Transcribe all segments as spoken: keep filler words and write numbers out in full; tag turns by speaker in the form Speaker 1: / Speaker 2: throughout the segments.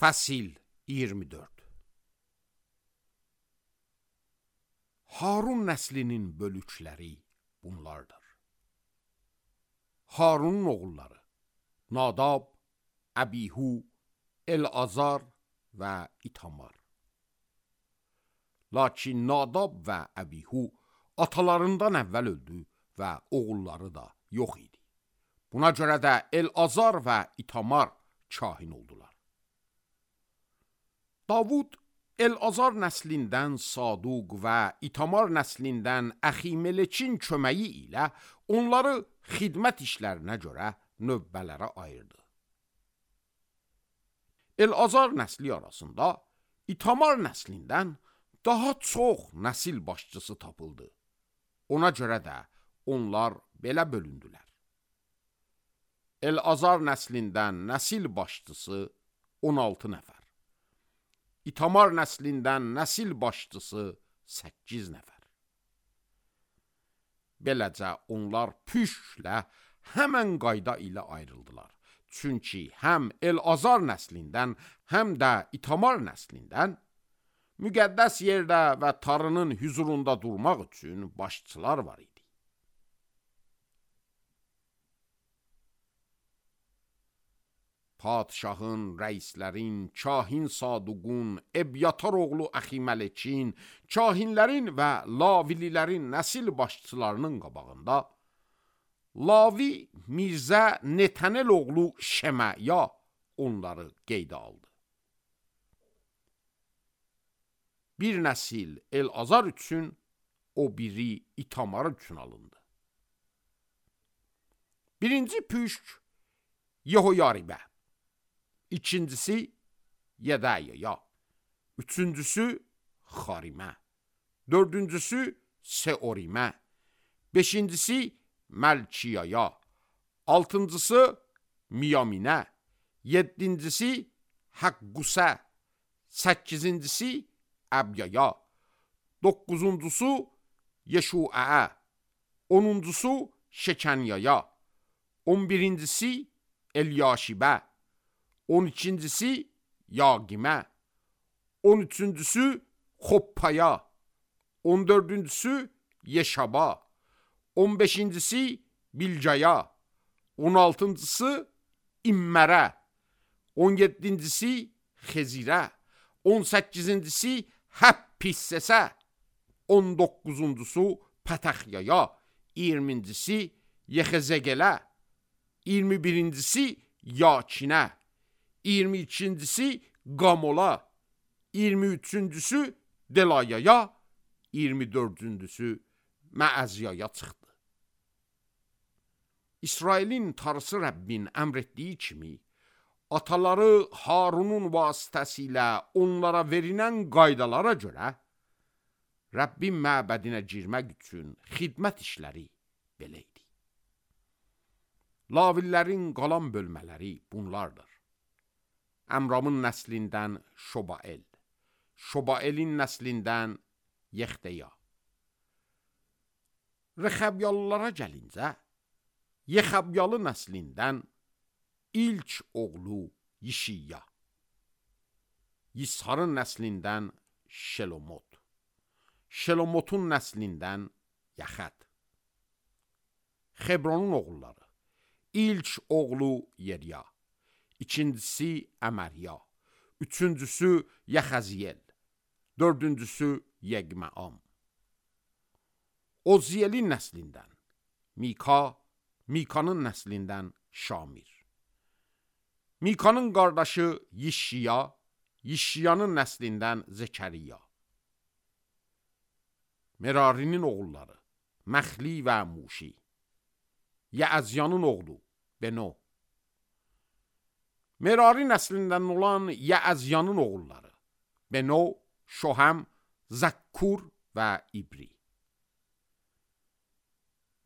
Speaker 1: Fəsil iyirmi dörd. Harun nəslinin bölükləri bunlardır. Harunun oğulları Nadab, Əbihu, El-Azar və İtamar. Lakin Nadab və Əbihu atalarından əvvəl öldü və oğulları da yox idi. Buna görə də El-Azar və İtamar kahin oldular. Davud El-Azar nəslindən Saduq və İtamar nəslindən Əximeleçin köməyi ilə onları xidmət işlərinə görə növbələrə ayırdı. El-Azar nəsli arasında İtamar nəslindən daha çox nəsil başçısı tapıldı. Ona görə də onlar belə bölündülər. El-Azar nəslindən nəsil başçısı on altı nəfər. İtamar nəslindən nəsil başçısı səkkiz nəfər. Beləcə onlar püşklə həmən qayda ilə ayrıldılar. Çünki həm El-Azar nəslindən, həm də İtamar nəslindən müqəddəs yerdə və Tanrının hüzurunda durmaq üçün başçılar var idi. Padişahın, rəislərin, kahin Saduqun, Ebyatar oğlu Əximeleçin, kahinlərin və Lavililərin nəsil başçılarının qabağında Lavi Mirzə Netənel oğlu Şəməya onları qeydə aldı. Bir nəsil El-Azar üçün, o biri İtamar üçün alındı. Birinci püşk Yehoyaribə, İkincisi Yedəyaya, üçüncüsü Xarimə, dördüncüsü Seorimə, beşincisi Məlkiyaya, altıncısı Miyaminə, yeddincisi Həqqusə, səkkizincisi Əbyaya, doqquzuncusu Yeşuəə, onuncusu Şekənyaya, on birincisi Elyaşibə, on ikincisi Yaqimə, on üçüncüsü Xoppaya, on dördüncüsü Yeşaba, on beşincisi Bilcaya, on altıncısı İmmərə, on yeddincisi Xezirə, on səkkizincisi Həppissəsə, on doqquzuncusu Pətəxyaya, iyirmincisi Yexezəgelə, iyirmi birincisi Yakinə, iyirmi ikincisi Qamola, iyirmi üçüncüsü Delayaya, iyirmi dördüncüsü Məəzyaya çıxdı. İsrailin Tanrısı Rəbbin əmr etdiyi kimi, ataları Harunun vasitəsilə onlara verilən qaydalara görə, Rəbbin məbədinə girmək üçün xidmət işləri belə idi. Lavillerin qalan bölmələri bunlardır. Əmramın nəslindən Şobael, Şobaelin nəslindən Yexdeya. Rexəbyalılara gəlincə, Yexəbyalı nəslindən ilk oğlu Yişiya, Yisharın nəslindən Şelomot, Şelomotun nəslindən Yaxət. Xebronun oğulları, ilk oğlu Yeriya, ikincisi Əmərya, üçüncüsü Yəxəziyel, dördüncüsü Yeqməam. Oziyelin nəslindən Mika, Mikanın nəslindən Şamir. Mikanın qardaşı Yişiya, Yişiyanın nəslindən Zekəriya. Merarinin oğulları Məxli və Muşi. Yəəzyanın oğlu Beno. Merari nəslindən olan Yəəzyanın oğulları Beno, Şohəm, Zəkkur və İbri.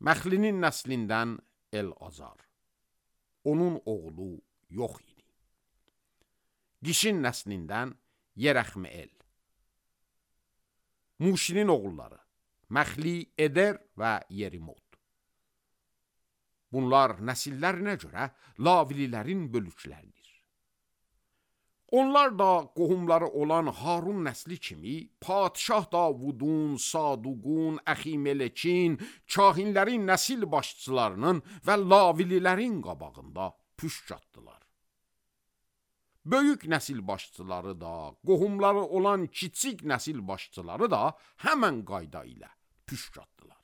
Speaker 1: Məxlinin nəslindən El-Azar. Onun oğlu yox idi. Qişin nəslindən Yerəxmeel. Muşinin oğulları Məxli, Eder və Yerimot. Bunlar nəsillərinə görə Lavililərin bölükləridir. Onlar da qohumları olan Harun nəsli kimi Padişah Davudun, Saduqun, Əximelekin, kahinlərin nəsil başçılarının və lavililərin qabağında püşk atdılar. Böyük nəsil başçıları da, qohumları olan kiçik nəsil başçıları da həmən qayda ilə püşk atdılar.